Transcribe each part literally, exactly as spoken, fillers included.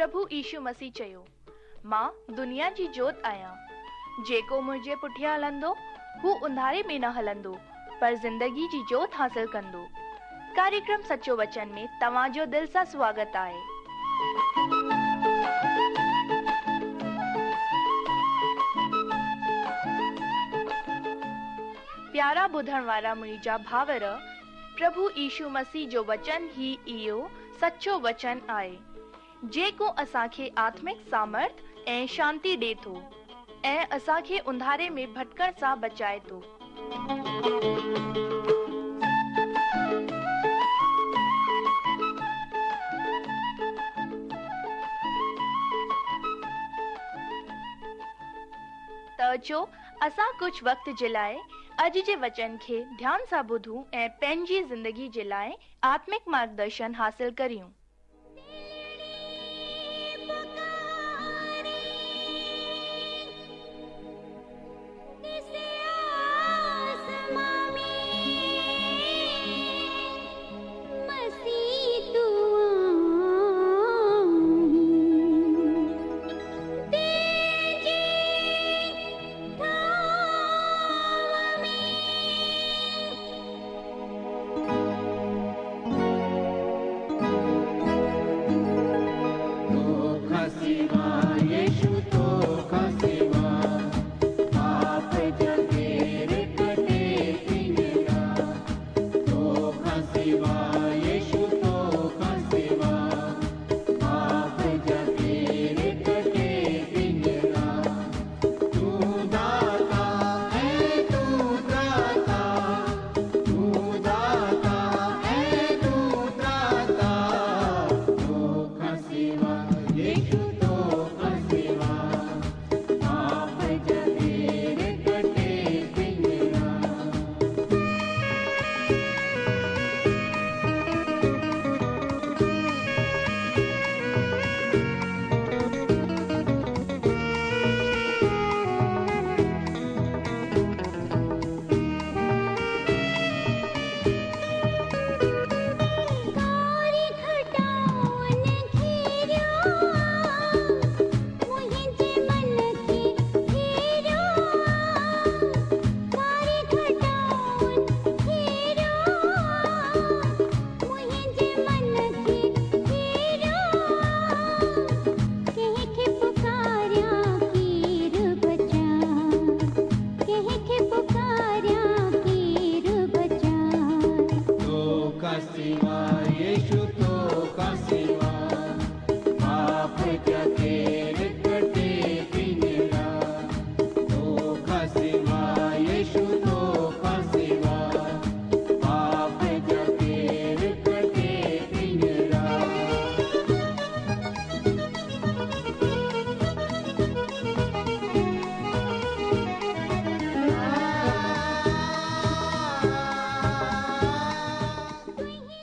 پرڀو يشو مسيح چيو، مان دنيا جي جوت آهيان. جيڪو منهنجي پٺيان هلندو، هو انڌاري ۾ نه هلندو، پر زندگي جي جوت حاصل ڪندو. ڪاريڪرم سچو وچن ۾ توهان جو دل سان سواگت آهي. پيارا ٻڌڻ وارا منهنجا ڀائر، پرڀو يشو مسيح جو وچن ئي اهو سچو وچن آهي، جيڪو اسان کي آتمڪ سامرٿ ۽ شانتي ڏي ٿو ۽ اسان کي انڌاري ۾ ڀٽڪڻ سان بچائي ٿو. ته اچو اسان ڪجهه وقت جي لاء اڄ جي وچن کي ڌيان سان ٻڌون ۽ پنهنجي زندگي جي لاء آتمڪ مارگدرشن حاصل ڪريون.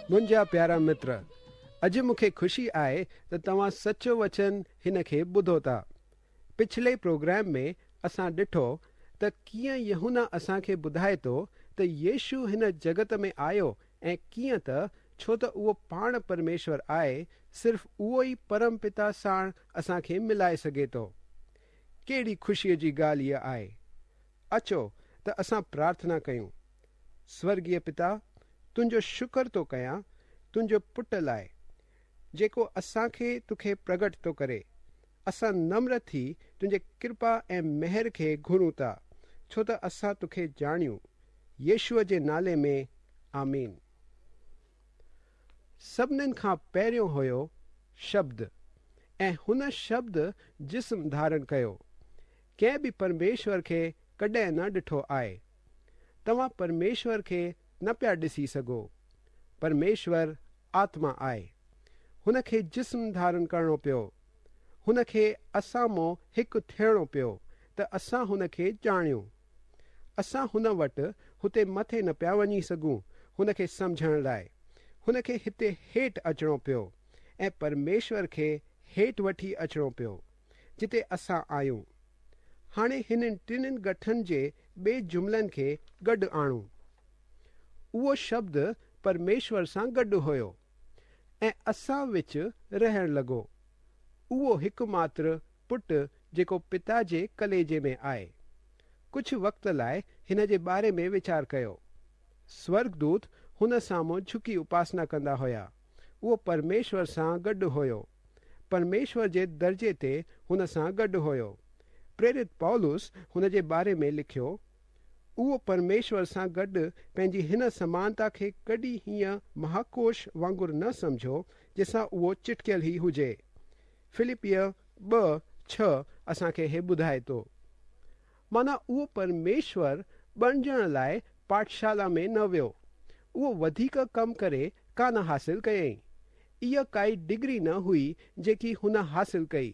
منهنجا پيارا متر، اڄ مون کي خوشي آهي ته توهان سچو وچن هن کي ٻڌو ٿا. پڇلي پروگرام ۾ اسان ڏٺو ته ڪيئن يوحنا اسان کي ٻڌائي ٿو ته يشو هن جڳت ۾ آيو ۽ ڪيئن ته ڇو ته اهو پاڻ پرميشور آهي، صرف اهو ئي پرم پتا ساڻ اسان کي ملائي سگهي ٿو. ڪهڙي خوشيءَ جي ڳالهه اها آهي. اچو ته اسان پرارٿنا ڪيون. سورڳيه پتا، تنهنجو شڪر ٿو ڪيان تنهنجو پٽ لاءِ، جيڪو اسان کي توکي پرگٽ ٿو ڪري. اسان نمر ٿي تنهنجي ڪرپا ۽ مهر کي گهرون ٿا، ڇو ته اسان توکي ڄاڻيون. يشوءَ جي نالي ۾ آمين. سڀنين کان پهريون هيو شبد، ۽ هن شبد جسم ڌارڻ ڪيو. ڪنهن به پرميشور کي ڪڏهن نه ڏٺو آهي. توهان پرميشور کي نه پيا ڏسي سگهو. پرميشور آتما آهي. هن کي جسم ڌارڻ ڪرڻو پيو. هن کي اسان مان هڪ ٿيڻو پيو ته اسان هن کي ڄاڻيون. اسان هن وٽ هتي مٿي نه پيا وڃي سگهون. هن کي سمجهڻ لاءِ هن کي هتي هيٺ اچڻو پيو ۽ پرميشور کي هيٺ وٺي اچڻو پيو جتي اسان آهيون. هاڻي هنن ٽنهن گٺن جي ٻئي جملن کي گڏ آڻون. اهو شبد پرميشور سان گڏ هيو ۽ اسان وچ رهڻ لڳو. اهو هڪ ماتر پٽ جيڪو پتا جي ڪليجي ۾ آهي. ڪجهه وقت لاءِ هن جي باري ۾ ويچار ڪيو. سورڳدوت هن سامهون جهڪي اپاسنا ڪندا هئا. اهو پرميشور سان گڏ هيو. پرميشور جي درجي تي هن سان گڏ هيو. پريرت پولس هن جي باري ۾ لکيو، اهو پرميشور سان گڏ پنهنجي هن سمانتا کي ڪڏهن هيئن مهاڪوش وانگر نه سمجهيو جنهن سان اهو چٽڪيل ئي هجي. فلپيءَ ٻه ڇهه اسان کي هي ٻڌائي ٿو. معنيٰ اهو پرميشور بڻجڻ لاءِ پاٺشالا ۾ نه ويو. اهو وڌيڪ ڪم ڪري ڪانه حاصل ڪيائين. اها ڪائي ڊگري نه هئي جيڪي هن حاصل ڪئي.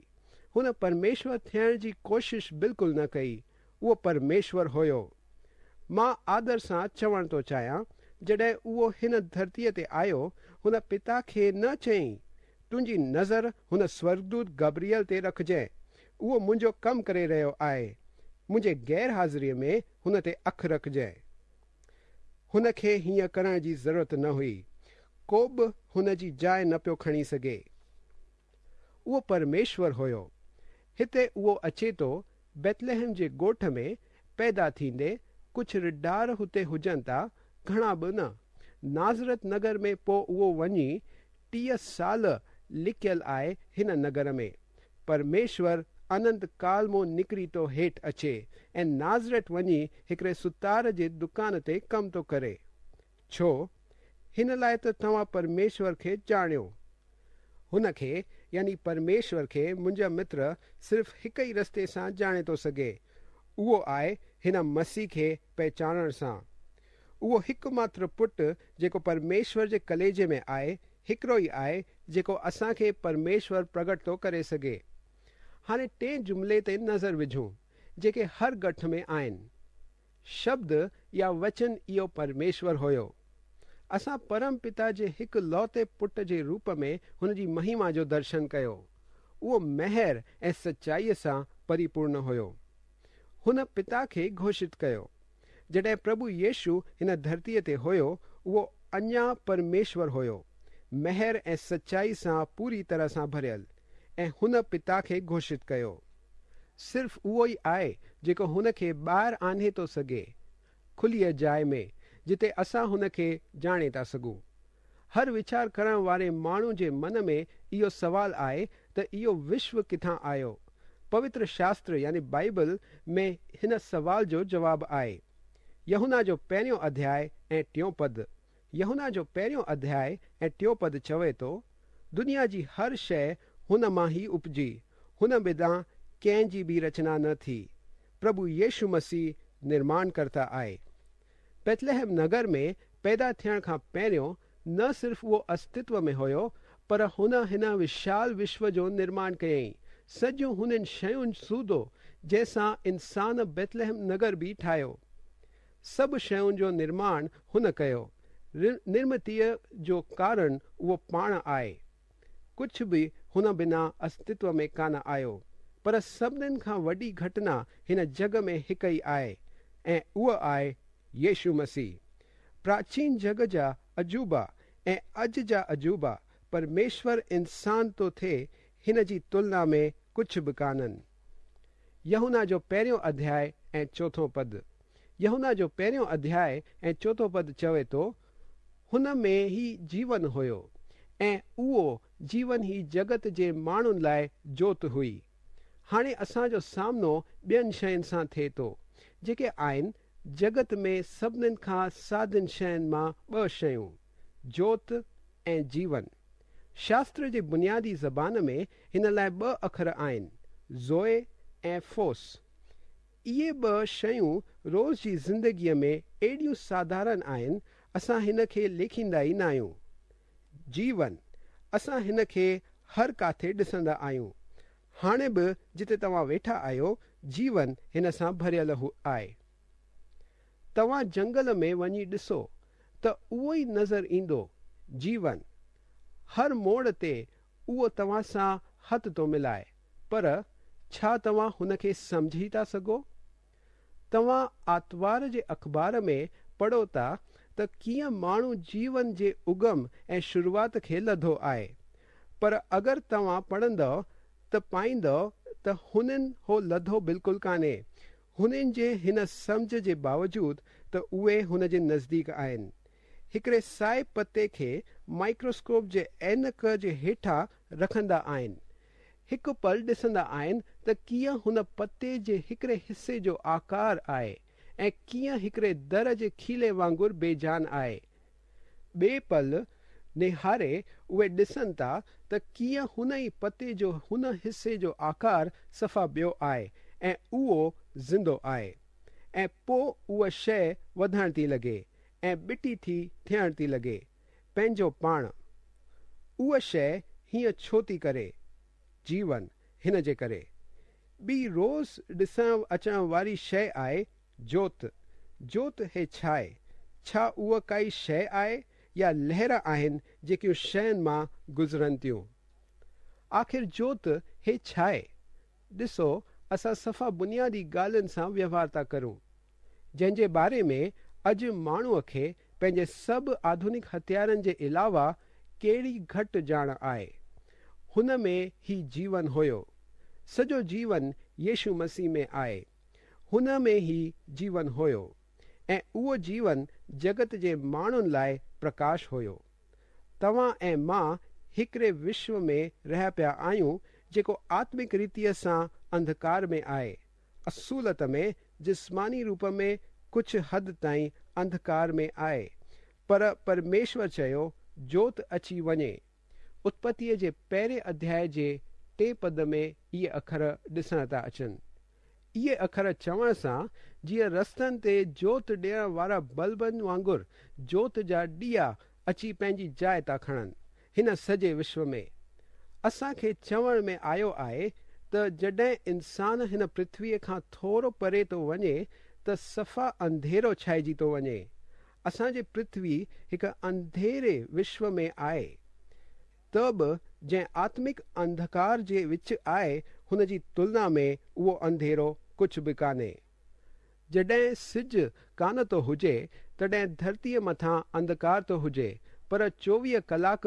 هن پرميشور ٿيڻ جي ڪوشش بلڪل نه ڪئي. اهو پرميشور هيو. مان آدر سان چوڻ ٿو چاهيان، جڏهن اهو هن ڌرتيءَ تي آيو، هن پتا کي نه چيائين، تنهنجي نظر هن سورڳدوت گبريل تي رکجانءِ، اهو منهنجو ڪم ڪري رهيو آهي، منهنجي غير حاضريءَ ۾ هن تي اک رکجانءِ. هن کي هيئن ڪرڻ جي ضرورت نه هئي. ڪو به هن جي جاءِ نه پيو کڻي سگهي. اهو پرميشور هيو. هتي اهو اچي ٿو بيتليهم جي ڳوٺ ۾ پيدا ٿيندي. ڪجهه رڍار هتي هجن ٿا، گهڻا به نه. نازرت نگر ۾ پوءِ اهو وڃي ٽيهه سال لڪيل آهي هن نگر ۾. پرميشور اننت ڪال مان نڪري ٿو هيٺ اچي ۽ نازرت وڃي هڪڙي ستار جي دڪان تي ڪم ٿو ڪري. ڇو؟ هن لاءِ ته توهان پرميشور کي ڄاڻيو. هن کي يعني پرميشور کي منهنجا متر صرف هڪ ئي رستي سان ڄاڻي ٿو سگهي، اهو آهي هن مسيح کي پهچانڻ سان. اهو هڪ ماتر پٽ جيڪو پرميشور جي ڪليجي ۾ آهي، هڪڙو ئي آهي جيڪو اسان کي پرميشور پرگٽ ٿو ڪري سگهي. هاڻي ٽئين جملي تي نظر وجهون جيڪي هر ڳٺ ۾ آهن. شبد يا وچن اهو پرميشور هيو. اسان پرم پتا جي هڪ لوتي پٽ جي روپ ۾ هن جي مهما جو درشن ڪيو. اهو مهر ۽ سچائيءَ سان پريپورڻ هيو. هن پتا کي گهوشت ڪيو. جڏهن پرڀو يشو هن ڌرتيءَ تي هيو، اهو اڃا پرميشور هيو، مهر ۽ سچائي سان پوري طرح سان ڀريل، ۽ هن پتا کي گهوشت ڪيو. صرف اهو ئي آهي جيڪو هن کي ٻاهر آڻي ٿو سگهي، کليءَ جاءِ ۾ جتي اسان هن کي ڄاڻي ٿا سگهون. هر ويچار ڪرڻ واري ماڻهو جي من ۾ اهو سوال آهي ته اهو وشو ڪٿان آيو؟ پوتر شاستر يعني بائيبل ۾ هن سوال جو جواب آهي. يوحنا جو پهريون اڌياءِ ۽ ٽيون پد. يوحنا جو پهريون اڌياءِ ۽ ٽيون پد چوي ٿو، دنيا جي هر شيءِ هن مان ئي اپجي، هن بنا ڪنهن جي به رچنا نه ٿي. پرڀو يشو مسيح نرماڻ ڪرتا آهي. بيتليهم نگر ۾ پيدا ٿيڻ کان پهريون نه صرف اهو استتو ۾ هيو، پر هن هن وشال وشو جو نرماڻ ڪيائين، سڄو هنن شين سوڌو جنهن سان انسان بيتليهم نگر به ٺاهيو. سڀ شين جو نرماڻ هن ڪيو. نرمتيءَ جو ڪارڻ اهو پاڻ آهي. ڪجهه به هن بنا استتو ۾ ڪانه آيو. پر سڀنين کان وڏي گهٽنا هن جڳ ۾ هڪ ئي آهي، ۽ اها آهي يشو مسيح. پراچين جڳ جا عجوبا ۽ اڄ جا عجوبا پرميشور انسان ٿو ٿئي هن جي تلنا ۾ ڪجهه به ڪانهن. يوحنا جو پهريون اڌياءِ ۽ چوٿون پد. يوحنا جو پهريون اڌياءِ ۽ چوٿون پد چوي ٿو، هن ۾ ئي جيون هيو ۽ اهو جيون ئي جڳت جي ماڻهن لاءِ جوت هئي. هاڻي اسان جو سامنو ٻين شين سان ٿئي ٿو، جيڪي آهن جڳت ۾ سڀنين کان سادين شين مان ٻه شيون، جوت ۽ جيون. شاستر جي بنيادي زبان ۾ هن لاءِ ٻه اکر آهن، زوئي ۽ فوس. اهي ٻه شيون روز جي زندگيءَ ۾ اهڙيون ساڌارڻ آهن، اسان هن کي ليکيندا ئي نه آهيون. جيون اسان هن کي هر ڪاٿي ڏسندا آهيون. هاڻي به جتي توهان ويٺا آهيو، جيون هن سان ڀريل آهي. توهان جنگل ۾ وڃي ڏسو ته اهو ئي نظر ايندو، جيون. هر موڙ تي اهو توهان سان هٿ ٿو ملائي، پر ڇا توهان هن کي سمجهي ٿا سگهو؟ توهان آتوار جي اخبار ۾ پڙهو ٿا ته ڪيئن ماڻهو جيون جي اگم ۽ شروعات کي لڌو آهي، پر اگر توهان پڙهندؤ ته پائيندؤ ته هنن هو لڌو بلڪل ڪانهي. هنن جي هن سمجهه جي باوجود ته اهي هن جي نزديڪ آهن. هڪڙي سائي پتي کي مائڪروسڪوپ جي عينڪ جي هيٺان رکندا آهن. هڪ پل ڏسندا آهن ته ڪيئن هن پتي جي هڪڙي حصي جو آڪار آهي ۽ ڪيئن هڪڙي در جي کيلي وانگر بيجان آهي. ٻئي پل نهاري اهي ڏسن ٿا ته ڪيئن هن ئي پتي جو هن حصي جو آڪار صفا ٻيو آهي ۽ اهو زندو آهي. ۽ پوءِ اها شيءِ وڌڻ ٿي لڳي ۽ ٻٽي ٿي ٿيڻ ٿي لڳي پنهنجو پاڻ. اها شيءِ هيئن ڇو ٿي ڪري؟ جيون هن جي ڪري. ٻي روز ڏسڻ اچڻ واري شيءِ آهي جوت. جوت هي ڇا آهي؟ ڇا اها ڪائي شيءِ آهي يا لهر آهن جيڪيون شين مان گذرن ٿيون؟ آخر جوت هي ڇا آهي؟ ڏسو، اسان صفا بنيادي ڳالهين سان وهنوار ٿا ڪرون، جنهن جي باري ۾ اڄ ماڻهوءَ کي پنهنجي سڀ آڌنڪ هٿيارن جي علاوه ڪهڙي گهٽ ڄاڻ آهي. هن ۾ هي جيون هيو. سڄو جيون يشو مسيح ۾ آهي. هن ۾ هي جيون هيو ۽ اهو جيون جڳت جي ماڻهن لاءِ پرڪاش هيو. توهان ۽ مان هڪڙي وشو ۾ رهيا پيا آهيون جيڪو آتمڪ ريتيءَ سان انڌڪار ۾ آهي. اصولت ۾ جسماني روپ ۾ ڪجهه حد تائين انڌڪار ۾ آهي، پر پرميشور چيو جوت اچي وڃي. اتپتيءَ جي پهرين اڌياءِ جي ٽي پد ۾ اهي اکر ڏسڻ ٿا اچن. اهي اکر چوڻ سان جيئن رستن تي جوت ڏيڻ وارا بلبن وانگر جوت جا ڏيئا اچي پنهنجي جاءِ ٿا کڻن هن سڄي وشو ۾. اسان کي چوڻ ۾ آيو آهي ته جڏهن انسان هن پرٿويءَ کان ٿورو پري ٿو وڃي ته صفا انڌيرو ڇائجي ٿو وڃي. اسان جي پرٿوي هڪ انڌيري وشو ۾ آهي، ته به جنهن آتمڪ انڌڪار جي وچ آهي هن جي تلنا ۾ اهو انڌيرو ڪجهه به ڪانهي. جڏهن سج ڪانه ٿو هجي تڏهن ڌرتيءَ مٿان انڌڪار ٿو هجي، پر چوويهه ڪلاڪ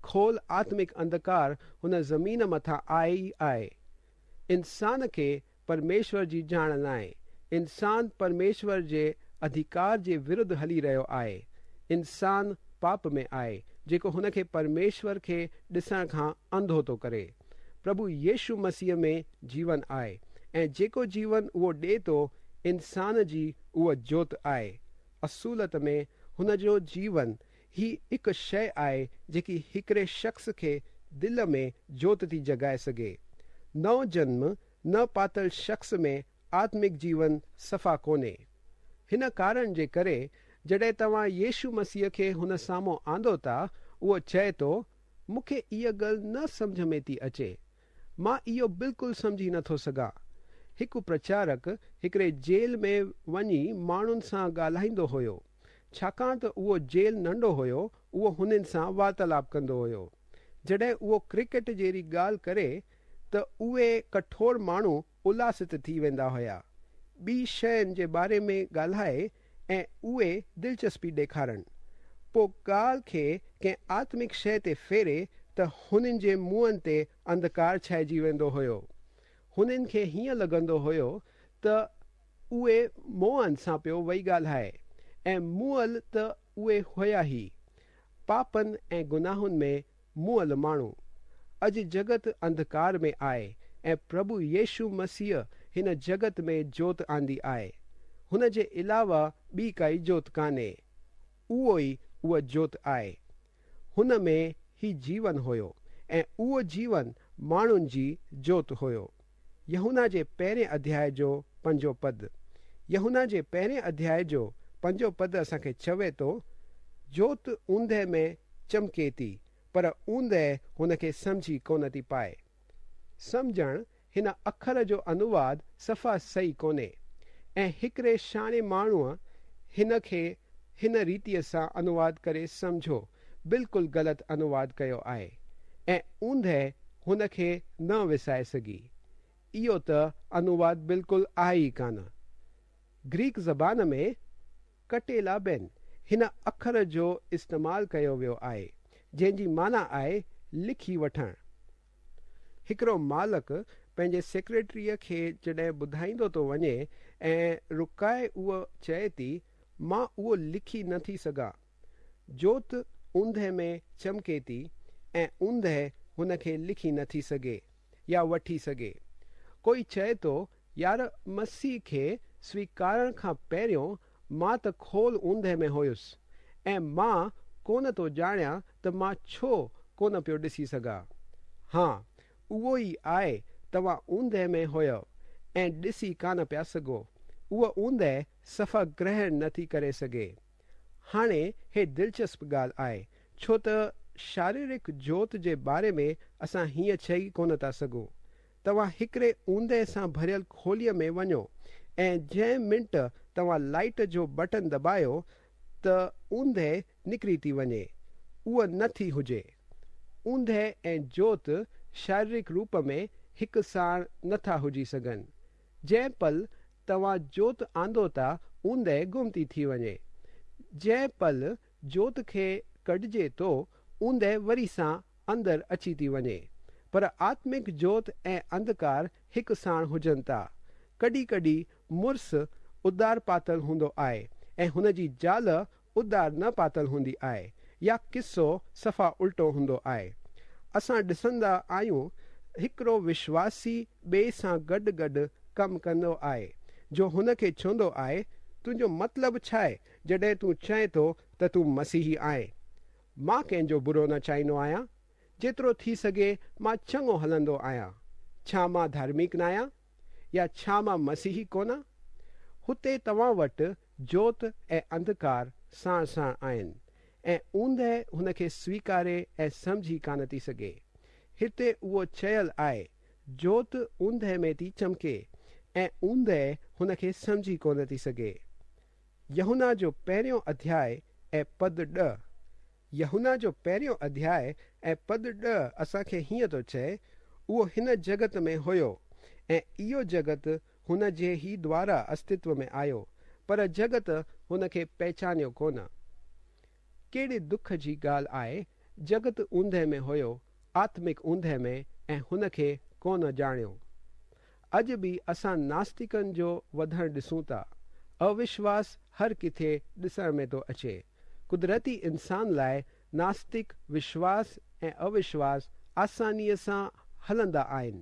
کول آتمڪ انڌڪار هن زمين مٿان آهي ئي آهي. انسان کي پرميشور جي ڄاڻ ناهي. انسان پرميشور جي اڌڪار جي ورڌ هلي رهيو آهي. انسان پاپ ۾ آهي جيڪو هن کي پرميشور کي ڏسڻ کان انڌو ٿو ڪري. پرڀو يشو مسيح ۾ جيون آهي ۽ جيڪو جيون اهو ڏئي ٿو انسان جي اها جوت آهي. اصولت ۾ هن جو جيون هي هڪ شيءِ آهي جيڪي هڪڙي شخص کي دل ۾ جوت ٿي جڳائي سگهي. نئون جنم نه پاتل شخص ۾ آتمڪ جيون صفا ڪونهي. هن ڪارڻ جي ڪري جڏهن توهان يشو مسيح کي هن سامهون آندو ٿا، اهو چئي ٿو، مون کي اها ڳالهه نه سمجهه ۾ ٿي اچي، مان اهو بلڪل سمجهي نٿو سگهان. هڪ پرچارڪ هڪڙي جيل ۾ وڃي ماڻهن سان ڳالهائيندو هيو. ڇاڪاڻ ته اهو جيل ننڍو هيو، اهو هنن سان وارتالاپ ڪندو هيو. جڏهن اهو ڪرڪيٽ جهڙي ڳالهه ڪري ته اهي ڪٺور ماڻهو الاست ٿي ويندا هئا. ٻي شين جي باري ۾ ڳالهائي ۽ اهي دلچسپي ڏيکارن، پوءِ ڳالهه کي ڪنهن آتمڪ شيءِ تي ڦيري ته هنن جي منهن تي انڌڪار ڇائجي ويندو هيو. هنن کي هيئن لڳندو هيو ته اهي مئن سان پيو وئي ڳالهائي ۽ مئل ته اهي هئا ئي، پاپن ۽ گناهن ۾ مئل ماڻهو. اڄ جڳت انڌڪار ۾ آهي ۽ پرڀو يشو مسيح هن جڳت ۾ جوت آندي آهي. هن جي علاوه ٻي ڪائي جوت ڪانهي. اهو ئي اها جوت آهي. هن ۾ هي جيون هيو ۽ اهو جيون ماڻهن جي جوت هيو. يوحنا جي پهرين اڌياءِ جو پنجون پد. يوحنا جي پهرين اڌياءِ جو پنجون پد اسان کي چوي ٿو، جوت اوندهه ۾ چمڪي ٿي، پر اوندهه هن کي سمجهي ڪونه ٿي پائي. سمجهڻ هن اکر جو انواد صفا صحيح ڪونهي ۽ هڪڙي سياڻي ماڻهوءَ هن کي هن ريتيءَ سان انواد ڪري سمجهو بلڪل غلط انواد ڪيو آهي ۽ اوندهه هن کي نه وسائي سگهي. اهو ته انواد بلڪل آهي ئي ڪانه. گريڪ زبان ۾ ڪٽيلابين هن اکر جو استعمال ڪيو ويو آهي، جنهن جي معنيٰ آهي لکي وٺڻ. هڪڙو مالڪ پنهنجي سيڪريٽريءَ کي جڏهن ٻڌائيندو ٿو وڃي ۽ رڪائي اهو چئي ٿي، مان اهو لکي نٿي سگهان. جوت اوندهه ۾ چمڪي ٿي ۽ اوندهه هن کي لکي نٿي سگهي يا وٺي سگهي. ڪوئي چئي ٿو، يار مسيح کي سويڪارڻ کان پهريون مان ته کول اوندهه ۾ هيس ۽ مان ڪونه ٿو ڄاڻيان ته مان ڇو ڪونه پيو ڏسي سگهان. ها، اهو ئي آهي، توهان اوندهه ۾ هيو ۽ ڏسي ڪانه پيا سگهو. اها اوندهه صفا گرهڻ نٿي ڪري سگهي. هاڻي هي دلچسپ ڳالهه آهي، ڇو ته شاريرڪ جوت جي باري ۾ اسان هيئن چئي ڪونه ٿا سگهون. توهان هڪڙي اوندهه سان ڀريل کوليءَ ۾ وڃو ۽ جنهن منٽ توهان لائيٽ جو بٽڻ دٻايو ته اوندهه نڪري ٿي وڃي، اها نٿي هجي. اوندهه ۽ جوت شاريرڪ روپ ۾ هڪ ساڻ نٿا هجي سگهن. جنهن پل توهان جوت آندو ٿا، اوندهه گم ٿي ٿي وڃي. جنهن پل جوت کي ڪڍجي ٿو، اوندهه وري سان اندر اچي ٿي وڃي. پر آتمڪ جوت ۽ انڌڪار هڪ ساڻ هجن ٿا. ڪڏهن ڪڏهن مڙس اڌار پاتل هوندو آهي ۽ هن جي زال اڌار نه پاتل هوندي آهي، يا قصو صفا الٽو هوندو آهي. اسان ڏسندا آهيون هڪڙو وشواسي ٻئي سان گڏ گڏ ڪم ڪندو آهي، جو هن کي چوندو آهي، تنهنجو مطلب ڇا آهي جڏهن تون چئين ٿو ته تون مسيحي آهين؟ مان ڪنهن جو برو نه چاهيندو آهيان. جيترو ٿي سگهي مان چڱو هلندو آهيان. ڇا مان ڌارمڪ نه آهيان؟ يا ڇا مان مسيحي ڪونه؟ هتي توهان وٽ جوت ۽ انڌڪار ساڻ ساڻ آهن ۽ اوندهه هن کي سويڪاري ۽ سمجهي ڪانه ٿي سگهي. هتي اهو چيل آهي، جوت اوندهه ۾ ٿي چمڪي ۽ اوندهه هن کي سمجهي ڪونه ٿي سگهي. يوحنا جو پهريون اڌياء ۽ پد ڏهه. يوحنا جو پهريون اڌياء ۽ پد ڏهه اسان کي هيئن ٿو چئي، اهو هن جڳت ۾ هيو ۽ اهو جڳت هن جي ئي دوارا استتو ۾ آيو، پر جڳت هن کي پهچانيو ڪونه. ڪهڙي دک جي ڳالهه آهي، جڳت اوندهه ۾ هيو، آتمڪ اوندهه ۾ ۽ هن کي ڪونه ڄاڻيو. اڄ به اسان ناستڪن جو وڌڻ ڏسون ٿا. اوشواس هر ڪٿي ڏسڻ ۾ ٿو اچي. قدرتي انسان لاءِ ناستڪ وشواس ۽ اوشواس آسانيءَ سان هلندا آهن.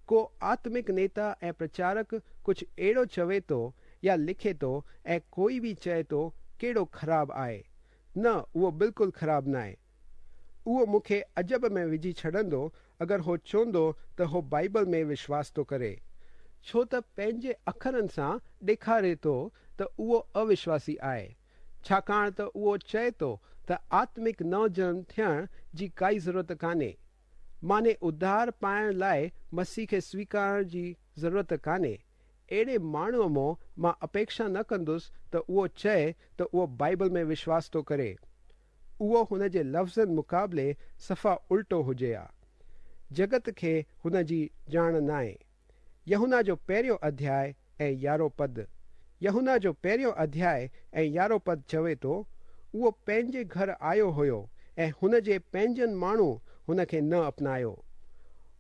ڪو آتمڪ نيتا ۽ پرچارڪ ڪجهه اهڙو چوي ٿو يا لکي ٿو ۽ ڪوئي به چئي ٿو ڪهڙو خراب آهي. نه، اهو بلڪل خراب نه آهي. اهو مون کي عجب ۾ وجهي ڇڏندو اگر هو چوندو ته هو بائيبل ۾ وشواس ٿو ڪري، ڇو ته پنهنجي اکرن سان ڏيکاري ٿو ته اهو اوشواسي آهي، ڇاڪاڻ ته اهو چئي ٿو ته آتمڪ نوجنم ٿيڻ جي ڪائي ضرورت ڪانهي، معني اڌار پائڻ لاءِ مسيح کي سويڪارڻ جي ضرورت ڪانهي. اهڙي ماڻهوءَ مان مان اپيڪشا نه ڪندس ته اهو چئي ته اهو بائيبل ۾ وشواس ٿو ڪري. اهو هن جي لفظن مقابلي صفا الٽو هجي ها. جڳت کي هن جي ڄاڻ ناهي. يوحنا جو پهريون اڌياء ۽ يارهون پد. يوحنا جو پهريون اڌياء ۽ يارهون پد چوي ٿو، اهو پنهنجي گهر آيو هيو ۽ هن جي پنهنجن ماڻهو هن کي نه اپنايو.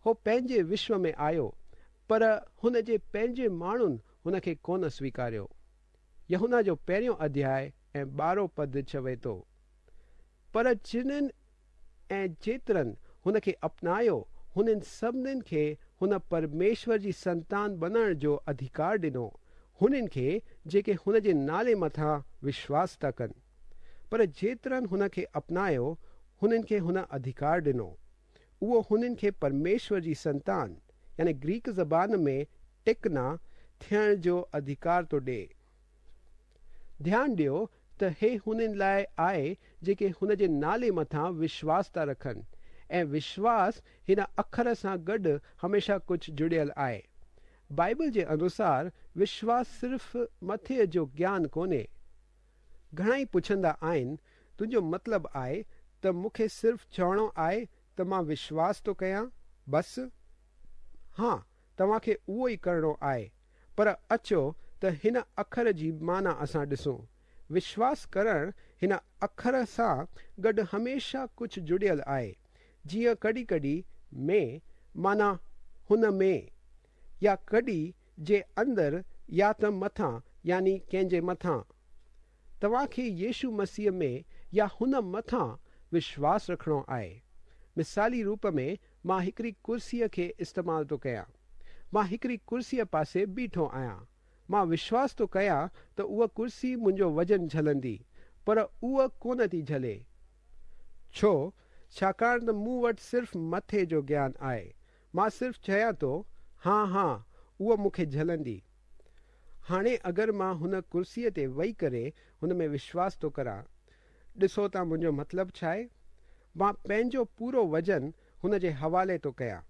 هو پنهنجي وشو ۾ آيو، پر هن جي پنهنجي ماڻهن هن کي ڪونه سويڪاريو. يوحنا جو پهريون اڌياء ۽ ٻارهون پد چوي ٿو، پر جنن ۽ جيترن هن کي اپنايو، هنن سڀنين کي هن پرميشور جي سنتان بڻڻ جو اڌڪار ڏنو، هنن کي جيڪي هن جي نالي مٿان وشواس ٿا ڪن. پر جيترن هن کي اپنايو، هنن کي هن اڌڪار ڏنو. اهو هنن کي پرميشور جي سنتان، يعني گريڪ زبان ۾ ٽيڪنا ٿيڻ جو اڌڪار ٿو ڏئي. ڌيان ڏيو ته هي هنن لاءِ آهي جيڪي هن جي نالي مٿان وشواس ٿا رکن، ۽ وشواس هن اکر سان گڏ هميشه ڪجهه جڙيل آهي. بائيبل جي انوسار وشواس صرف مٿي جو گيان ڪونهي. گهڻا ئي پڇندا آهن، تنهنجو مطلب آهي ته مون کي صرف چوڻو آهي ته مان وشواس ٿو ڪيان، بس؟ ها، توهان کي اهو ئي ڪرڻو آهي. پر اچو ته هن اکر جي معنيٰ اسان ڏسون. وشواس ڪرڻ هن اکر سان گڏ هميشه ڪجهه جڙيل آهي. جيئن ڪڏهن ڪڏهن ۾ معنيٰ هن ۾، يا ڪڏهن جي اندر يا ته مٿان يعني ڪنهن جي مٿان. توهان کي يشو مسيح ۾ يا هن مٿان وشواس رکڻو آهي. مثالي روپ ۾ مان هڪڙي ڪرسيءَ کي استعمال ٿو ڪيان. مان هڪڙي ڪرسيءَ پاسي بيٺو آهيان. مان وشواس ٿو ڪيان ته اها ڪرسي منهنجو وزن جهلندي، پر اها ڪونه ٿي جهلي. ڇو؟ ڇاڪاڻ ته مون وٽ صرف مٿي جو گيان آهي. مان صرف چيان ٿو، ها ها، اها مون کي جهلندي. هاڻي اگر مان هن ڪرسيءَ تي ويهي ڪري هن ۾ وشواس ٿو ڪران، ڏسو ته منهنجو مطلب ڇا آهي؟ مان پنهنجو پورو وزن هن جي حوالي ٿو ڪيان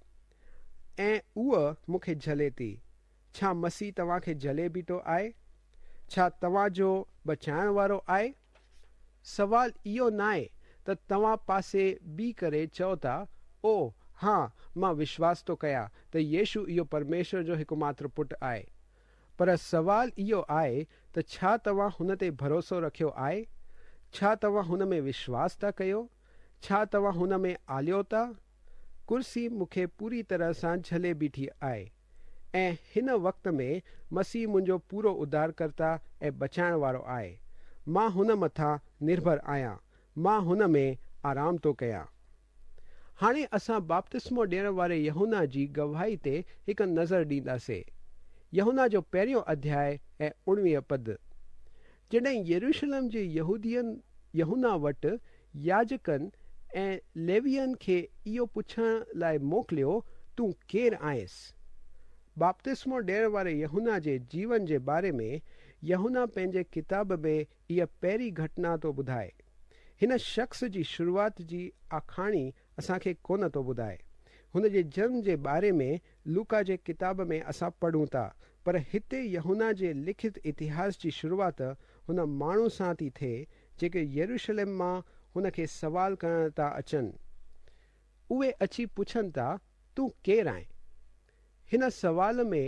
۽ اها مون کي جهلي ٿي. ڇا مسيح توهان کي جهلي بيٺو آهي؟ ڇا توهان جو بچائڻ وارو آهي؟ سوال اهو ناهي ته توهان پاسي بيهي ڪري چئو ٿا، او ها، مان وشواس ٿو ڪيان ته يشو اهو پرميشور جو هڪ ماتر پٽ آهي. پر سوال اهو آهي ته ڇا توهان هن تي ڀروسو رکيو آهي؟ ڇا توهان هن ۾ وشواس ٿا ڪيو؟ ڇا توهان هن ۾ آليو ٿا؟ ڪرسي مون کي پوري طرح سان جهلي بيٺي آهي ۽ هن وقت ۾ مسيح منهنجو پورو اڌارڪرتا ۽ بچائڻ وارو آهي. مان هن مٿان نرڀر آهيان. مان هن ۾ آرام ٿو ڪيان. هاڻي اسان بپتسمو ڏيڻ واري يوحنا جي گواهي تي هڪ نظر ڏينداسين. يوحنا جو پهريون اڌياء ۽ اڻويهه پد. جڏهن يروشلم جي يهودين يوحنا وٽ ياجڪن ۽ ليوين کي اهو پڇڻ لاءِ موڪليو، تون ڪير آهيس؟ بپتسمو ڏيڻ واري يوحنا جي جيون جي باري ۾ يوحنا پنهنجي ڪتاب ۾ اها پهرين گهٽنا ٿو ٻڌائي. هن شخص جي شروعات جي آکاڻي اسان کي ڪونه ٿو ٻڌائي. هن جي جنم جي باري ۾ لوڪا جي ڪتاب ۾ اسان پڙهون ٿا، پر هتي يوحنا جي لکت اتهاس جي شروعات هن ماڻهو سان ٿي ٿئي جيڪي يروشلم مان هن کي سوال ڪرڻ ٿا اچن. اهي اچي پڇن ٿا، تون ڪير آهين؟ هن سوال ۾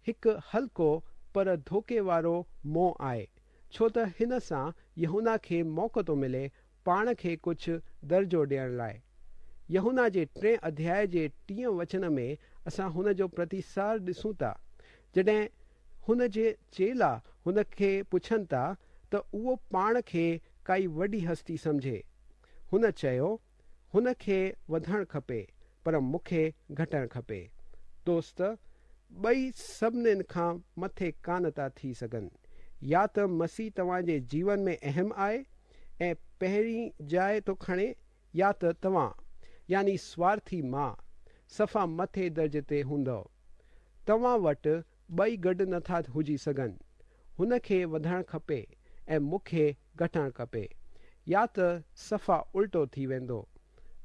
هڪ هلڪو پر ڌوڪي وارو موهه آهي، ڇو ته هن سان يوحنا کي موقعو ٿو ملي پاڻ کي ڪجهه درجو ڏيڻ لاءِ. يوحنا جي ٽئين اڌياءَ جي ٽئين وچن ۾ اسان هن جو پرتسار ڏسون ٿا، جڏهن هن جي چيلا هن کي پڇن ٿا ته اهو پاڻ کي ڪائي وڏي هستي سمجهي. هن چيو، هن کي وڌڻ کپي، پر مون کي گهٽڻ کپي. دوست، ٻئي سڀنين کان مٿي ڪانه ٿا ٿي سگهن. يا ته مسيح توهان جي جيون ۾ اهم آهي ۽ پهرين جاءِ ٿو کڻي، يا ته توهان يعني سوارٿي مان صفا مٿي درجي تي هوندؤ. توهان وٽ ٻئي گڏ نٿا هجي سگهن. هن کي وڌڻ کپي ۽ مون کي گهٽڻ کپي، يا ته صفا الٽو ٿي ويندو.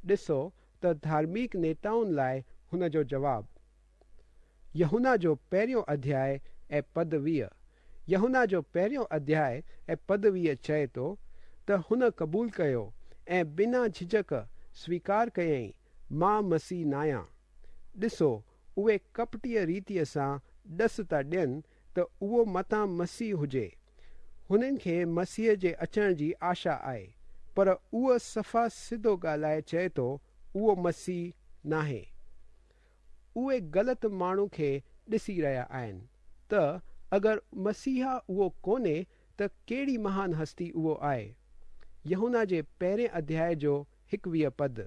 ڏسو ته ڌارمڪ نيتائن لاءِ هن جو جواب. يوحنا جو پهريون اڌياءَ ۽ پد ويهه. يوحنا جو پهريون اڌياءَ ۽ پد ويهه چئي ٿو ته هن قبول ڪيو ۽ بنا جهجهڪ سويڪار ڪيائين، مان مسيح ناهيان. ڏسو، اهي ڪپٽيءَ ريتيءَ سان ڏس ٿا ڏين ته اهو متان مسيح هجي. هنن کي مسيح جي اچڻ جي آشا آهي، پر اهو صفا سڌو ڳالهائي چئي ٿو اهو مسيح ناهي. اهي غلط ماڻهو کي ڏسي رهيا آهن ته اگر مسيحا اهو ڪونهي ته ڪهڙي مهان هستي اهو آهي. يوحنا جي پهرين اڌياءَ جو هڪويهه پد.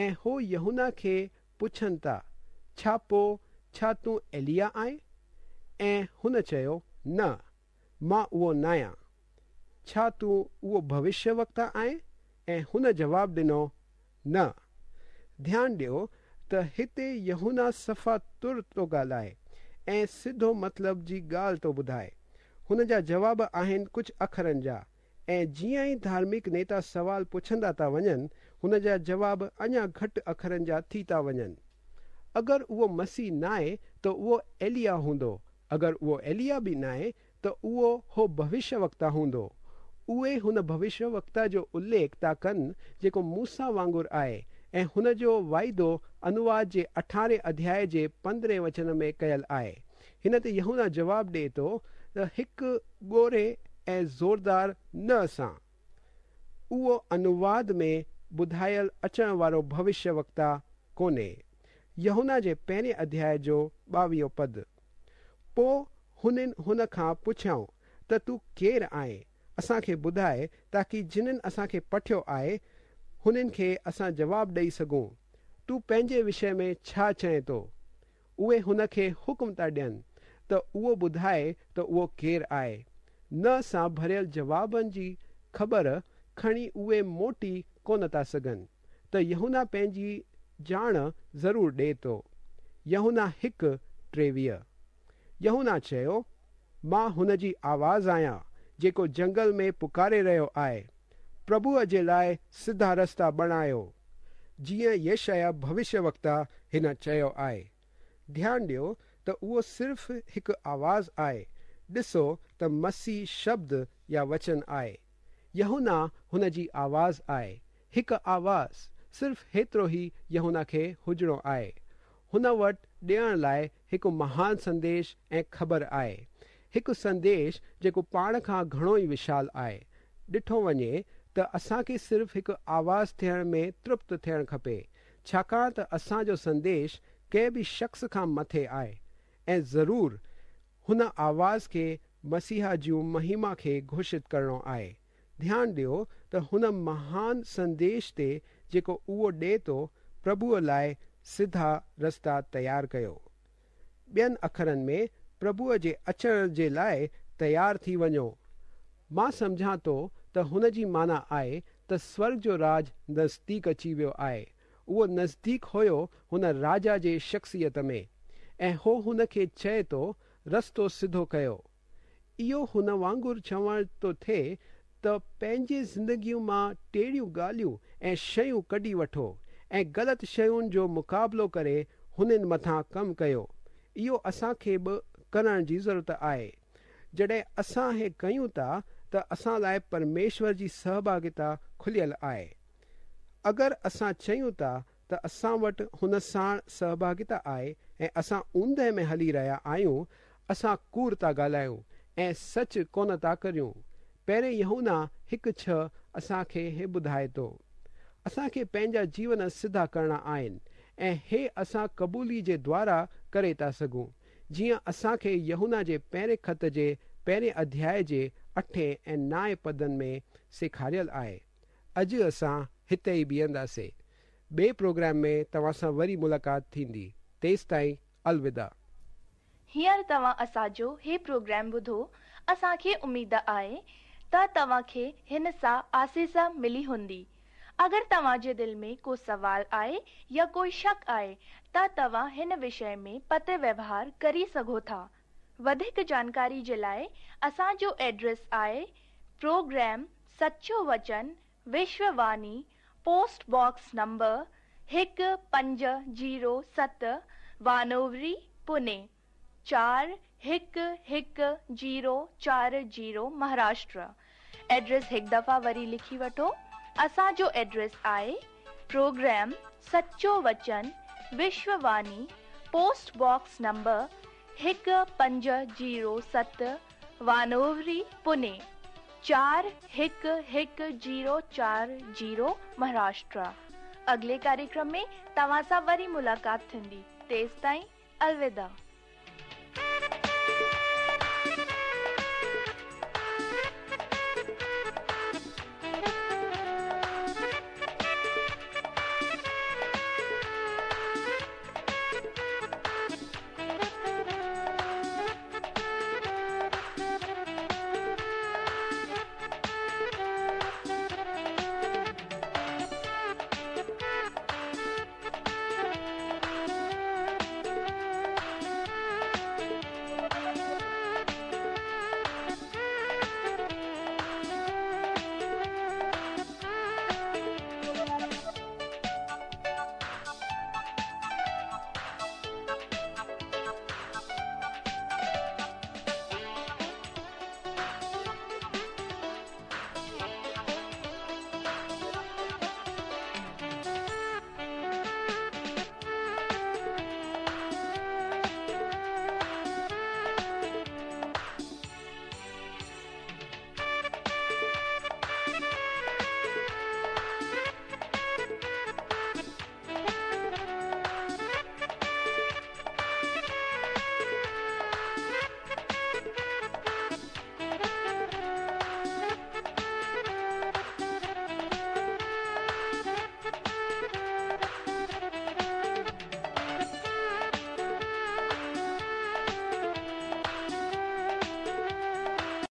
۽ هو يوحنا کي پڇن ٿا، ڇا پوءِ ڇا تون ايليا آهين؟ ۽ هن چيو، نه، مان اهو ناهيان. ڇا تون اهو ڀوشيه وڪتا آهين؟ ۽ هن جواب ڏنو، نه. ڌيان ڏيو ته هتي يوحنا صفا تر ٿو ڳالهائي ۽ سڌو مطلب جي ڳالهه ٿو ٻڌائي. هن جا جواب آهن ڪجهه اکرن جا، ۽ جيئن ئي ڌارمڪ نيتا سوال پڇندا ٿا وڃن، هن جا جواب اڃا گهٽ اکرن جا ٿي ٿا وڃن. اگر اهو مسيح ناهي ته اهو ايليا هوندو. اگر اهو ايليا به ناهي ته اهو هو ڀوشيه وڪتا هوندو. اهي هن ڀوشيه وڪتا جو اليک ٿا ڪن جيڪو موسيٰ وانگر آهي ۽ هن جو واعدو انواد جي اٺارهين اڌياءَ جي پندرهين وچن ۾ ڪيل آهي. هن تي يوحنا جواب ڏئي ٿو ته هڪ ڳوري ۽ زوردار نه سان. اهو انواد ۾ ٻڌايل اچڻ وارو ڀوشيه وڪتا ڪونهي. يوحنا جي پهرين اڌياء جو ٻاويهون پد. پوءِ هنن هن کان پڇيائون ته تون ڪير آهين؟ اسان کي ٻڌائي تاڪه جنهن اسان کي پٺيو آهي هنن کي اسان جواب ڏيئي سگهون. تون پنهنجي وشي ۾ ڇا چئين ٿو؟ اهي هن کي حڪم ٿا ڏين ته اهو ٻڌائي ته اهو ڪير آهي. نه سان ڀريل جوابن جي خبر کڻي اهي موٽي ڪونه ٿا سگهن ته يوحنا پنهنجي ڄاڻ ضرور ڏئي ٿو. يوحنا هڪ ٽيويهه. يوحنا چيو، مان هن جي آواز آهيان جيڪو جنگل ۾ پڪاري رهيو آهي، پرڀوءَ جي لاءِ سڌا رستا بڻايو، جيئن يشعيا ڀوشيه وڪتا هن چيو آهي. ڌيان ڏيو ته اهو صرف هڪ آواز آهي. ڏسو ته مسيح شبد يا وچن آهي. يوحنا هن جي آواز آهي. هڪ آواز، صرف هيترو ئي يوحنا کي هجڻو آهي. هن وٽ ڏيڻ لاءِ هڪ مهان سنديش ۽ خبر آهي. هڪ سنديش جيڪو پاڻ کان گهڻو ئي وشال آهي. ڏٺو وڃي ته اسان کي صرف هڪ آواز ٿيڻ ۾ ترپت ٿيڻ کپي، ڇاڪاڻ ته اسان جو سنديش ڪنهن به شخص کان مٿي آهي ۽ ضرور هن آواز کي مسيحا جون مهما کي گهوشت ڪرڻو آهي. ڌيان ڏيو ته هن مهان سنديش تي جيڪو اهو ڏئي ٿو، پرڀوءَ لاءِ سڌا رستا تيار ڪيو. ٻين اکرن ۾ پرڀوءَ جي اچڻ جي لاءِ تيار ٿي وڃو. مان سمجهان ٿو ته هن جي معنيٰ آهي ته سورڳ جو راج نزديڪ اچي ويو آهي. اهو نزديڪ هيو هن راجا جي شخصيت ۾ ۽ هو هن کي چئي ٿو رستو سڌو ڪيو. اهو هن وانگر چوڻ ٿو ٿئي ته پنهنجي زندگيءَ مان ٽيڙيون ڳالهيون ۽ شيون ڪڍي وٺو ۽ غلط شين جو مقابلو ڪري هنن مٿان ڪم ڪيو. اهو اسان کي به ڪرڻ جي ضرورت آهي. جڏهن اسان هي ڪيون ٿا ته اسان لاءِ پرميشور جي سهڀاگيتا کليل آهي. اگر اسان چئون ٿا ته اسان وٽ هن ساڻ سهڀاگيتا آهي ۽ اسان اوندهه ۾ هلي رهيا آهيون، اسان ڪوڙ ٿا ڳالهايون ۽ سچ ڪونه ٿا ڪريون. پهرين يوحنا هڪ ڇهه اسان کي هي ٻڌائي ٿو. اسان کي پنهنجا جيون سڌا ڪرڻا آهن ۽ هي اسان قبولي جي دوارا ڪري ٿا سگهون، جيئن اسان کي يوحنا جي پهرين خط جي پهرين اڌياءِ جي اٺين ۽ نائين پدن ۾ سيکاريل آهي. اڄ اسان هتي ئي بيهنداسين. ٻئي پروگرام ۾ توهان سان وري ملاقات ٿيندي. تيس تائين الوداع. هينئر توهان اسان جو هي پروگرام ٻڌو. اسان کي اميد آهي ته توهان کي هن سان آسيس ملي هوندي. اگر توهان جي دل ۾ ڪو سوال آهي يا ڪوئي شڪ آهي ته توهان هن وشي ۾ پتر ويوهار ڪري سگهو ٿا. وڌيڪ جانڪاري جي لاءِ اسان جو ايڊريس آهي پروگرام سچو وچن، وشوواڻي، پوسٽ باڪس نمبر هڪ پنج زيرو ست، وانووري، پوني چار هڪ هڪ زيرو چار زيرو، مهاراشٽر. ايڊريس هڪ دفعا وري لکي وٺو. اسان جو ايڊريس آهي پروگرام سچو وچن، وشوواڻي، پوسٽ باڪس نمبر هڪ پنج زيرو ست، وانووري، پوني چار هڪ هڪ زيرو چار زيرو، مهاراشٽر. اڳلي ڪاريڪرم ۾ توهان سان وري ملاقات ٿيندي. تيس تائين الوداع.